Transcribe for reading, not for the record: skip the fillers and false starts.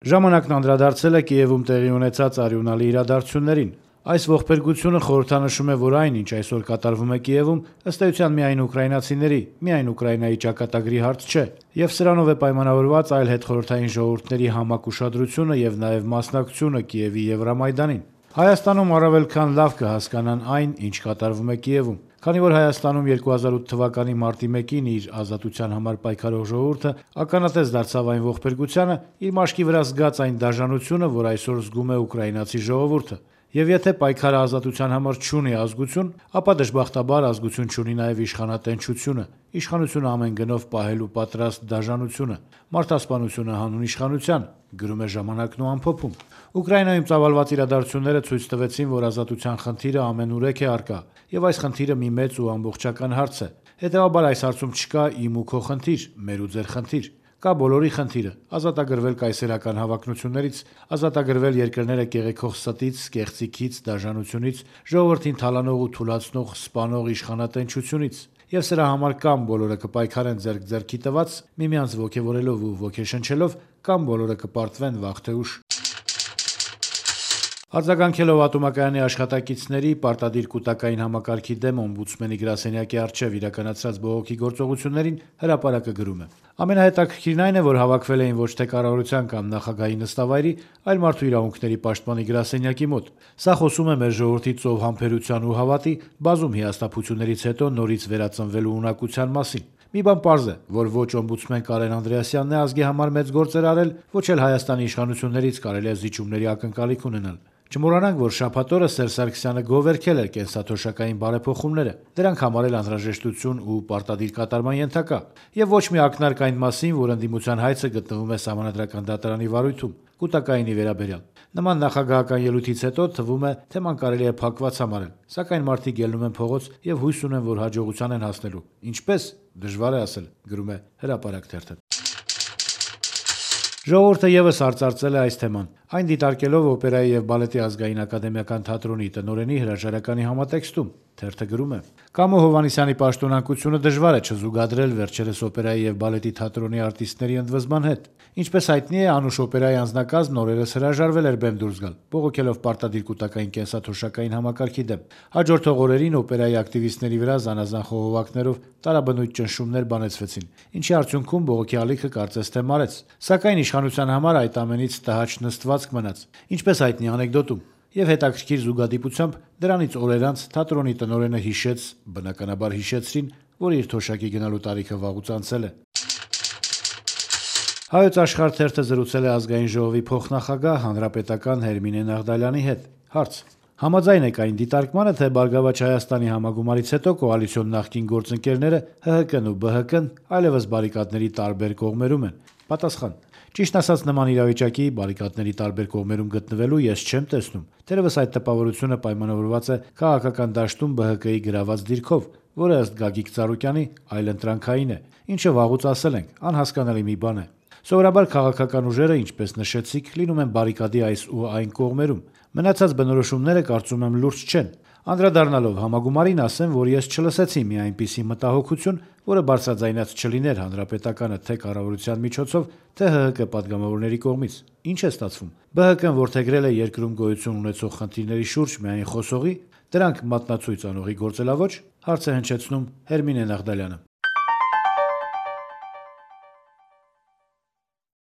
Ժամանակն անդրադարձել է Կիևում տեղի ունեցած արյունալի իրադարձություններին։ Այս ողբերգությունը խորհրդանշում է, որ այն, ինչ այսօր կատարվում է Կիևում, ըստ էության միայն ուկրաինացիների, միայն Ուկրաինայի ճակատագրի հարց չէ, եւ սրանով է պայմանավորված այլ հետխորհրդային ժողովուրդների համակ ուշադրությունը եւ նաեւ մասնակցությունը Կիևի Եվրամայդանին։ Հայաստանում առավել քան լավ կհասկանան այն, ինչ կատարվում է Կիևում, քանի որ Հայաստանում 2008 թվականի մարտի 1-ին իր ազատության համար պայքարող ժողովուրդը ականատես դարձավ այն ողբերգությանը, իր մաշկի վրա զգաց այն դաժանությունը, որ այսօր զգում է ուկրաինացի ժողովուրդը։ Եվ եթե պայքարը ազատության համար չունի ազգություն, ապա դժբախտաբար ազգություն չունի նաև իշխանատենչությունը, իշխանությունը ամեն գնով պահելու պատրաստ դաժանությունը, մարդասպանությունը հանուն իշխանության, գրում է «Ժամանակն» ու ամփոփում։ Ուկրաինայում ծավալված իրադարձությունները ցույց տվեցին, որ ազատության խնդիրը ամենուրեք է առկա, եւ այս խնդիրը մի մեծ ու ամբողջական հարց է։ Հետեւաբար այս հարցում չկա իմ ու քո խնդիր, մեր ու ձեր խնդիր։ Կա բոլորի խնդիրը՝ ազատագրվել կայսերական հավակնություններից, ազատագրվել երկրները կեղեքող ստից, կեղծիքից, դաժանությունից, ժողովրդին թալանող ու թուլացնող, սպանող իշխանատենչությունից։ Եվ սրա համար կամ բոլորը կպայքարեն ձեռք ձեռքի տված, միմյանց ոգևորելով ու ոգեշնչելով, կամ բոլորը կպարտվեն վաղ թե ուշ։ Արձագանքելով ատոմակայանի աշխատակիցների պարտադիր կուտակային համակարգի դեմ օմբուդսմենի գրասենյակի առջև իրականացրած բողոքի գործողություններին հրապարակը գրում է. Ամենահետաքրքիրն այն է, որ հավաքվել էին ոչ թե կառավարության կամ նախագահի նստավայրի, այլ մարդու իրավունքների պաշտպանի գրասենյակի մոտ։ Սա խոսում է մեր ժողովրդի ծով համբերության ու հավատի, բազում հիասթափություններից հետո նորից վերածնվելու ունակության մասին։ Մի բան պարզ է, որ ոչ օմբուդսմեն Կարեն Անդրեասյանն է ազգի համար մեծ գործեր արել, ոչ էլ Հայաստանի իշխանություններից կարելի է զիջումների ակնկալիք ունենալ։ Չմոռանանք, որ շաբաթ օրը Սերժ Սարգսյանը գովերքել էր կենսաթոշակային բարեփոխումները, դրանք համարել անհրաժեշտություն ու պարտադիր կատարման ենթակա, եւ ոչ մի ակնարկ այն մասին, որ ընդդիմության հայցը գտնվում է Սահմանադրական դատարանի վարույթում, կուտակայինի վերաբերյալ։ Նման նախագահական ելույթից հետո թվում է, թեման կարելի է փակված համարել, սակայն մարդիկ ելնում են փողոց եւ հույս ունեն, որ հաջողության են հասնելու։ Ինչպես, դժվար է ասել, գրում է Հրապարակ թերթը։ Ժողովուրդը եւս արծարծել է այս թեման, այն դիտարկելով օպերայի եւ բալետի ազգային ակադեմիական թատրոնի տնօրենի հրաժարականի համատեքստում։ Թերթը գրում է. Կամո Հովհաննիսյանի պաշտոնակությունը դժվար է չզուգադրել վերջերս օպերայի եւ բալետի թատրոնի արտիստների ընդվզման հետ։ Ինչպես հայտնի է, Անուշ օպերայի անձնակազմն օրերս հրաժարվել էր բեմ դուրս գալ, բողոքելով պարտադիր կուտակային կենսաթոշակային համակարգի դեմ։ Հաջորդող օրերին օպերայի ակտիվիստների վրա զանազան խողովակներով տարաբնույթ ճնշումներ բանեցվեցին, ինչի արդյունքում բողոքի ալիքը կարծես թե մարեց։ Սակայն իշխանության համար այդ ամենից տհաճ նստվածք մնաց, ինչպես հայտնի անեկդոտում։ Եվ հետաքրքիր զուգադիպությամբ դրանից օրեր անց թատրոնի տնօրենը հիշեց, բնականաբար հիշեցրին, որ իր թոշակի գնալու տարիքը վաղուց անցել է։ Հայոց Աշխարհ թերթը զրուցել է ազգային ժողովի փոխնախագահ հանրապետական Հերմինե Նաղդալյանի հետ։ Հարց. Համաձայն եք այն դիտարկմանը, թե Բարգավաճ Հայաստանի համագումարից հետո կոալիցիոն նախկին գործընկերները ՀՀԿ-ն ու ԲՀԿ-ն այլևս բարիկադների տարբեր կողմերում են։ Պատասխան. Ճիշտ ասած, նման իրավիճակի բարիկադների տարբեր կողմերում գտնվելու ես չեմ տեսնում։ Թերևս այդ տպավորությունը պայմանավորված է քաղաքական դաշտում ԲՀԿ-ի գրաված դիրքով, որը ըստ Գագիկ Ծառուկյանի այլընտրանքային է, ինչը վաղուց ասել ենք, անհասկանալի մի բան է։ Սովորաբար քաղաքական ուժերը, ինչպես նշեցիք, լինում են բարիկադի այս ու այն կողմերում։ Մնացած բնորոշումները կարծում եմ լուրջ չեն։ Անդրադառնալով համագումարին ասեմ, որ ես չլսեցի մի այնպիսի մտահոգություն, որը բարձրաձայնած չլիներ հանրապետականը թե կառավարության միջոցով, թե ՀՀԿ падգամավորների կողմից։ Ինչ է ստացվում։ ԲՀԿ-ն որդեգրել է երկրում գոյություն ունեցող խնդիրների շուրջ միայն խոսողի, դրանք մատնացույց անողի գործելավոճ, հարց է հնչեցնում Հերմինե Նաղդալյանը։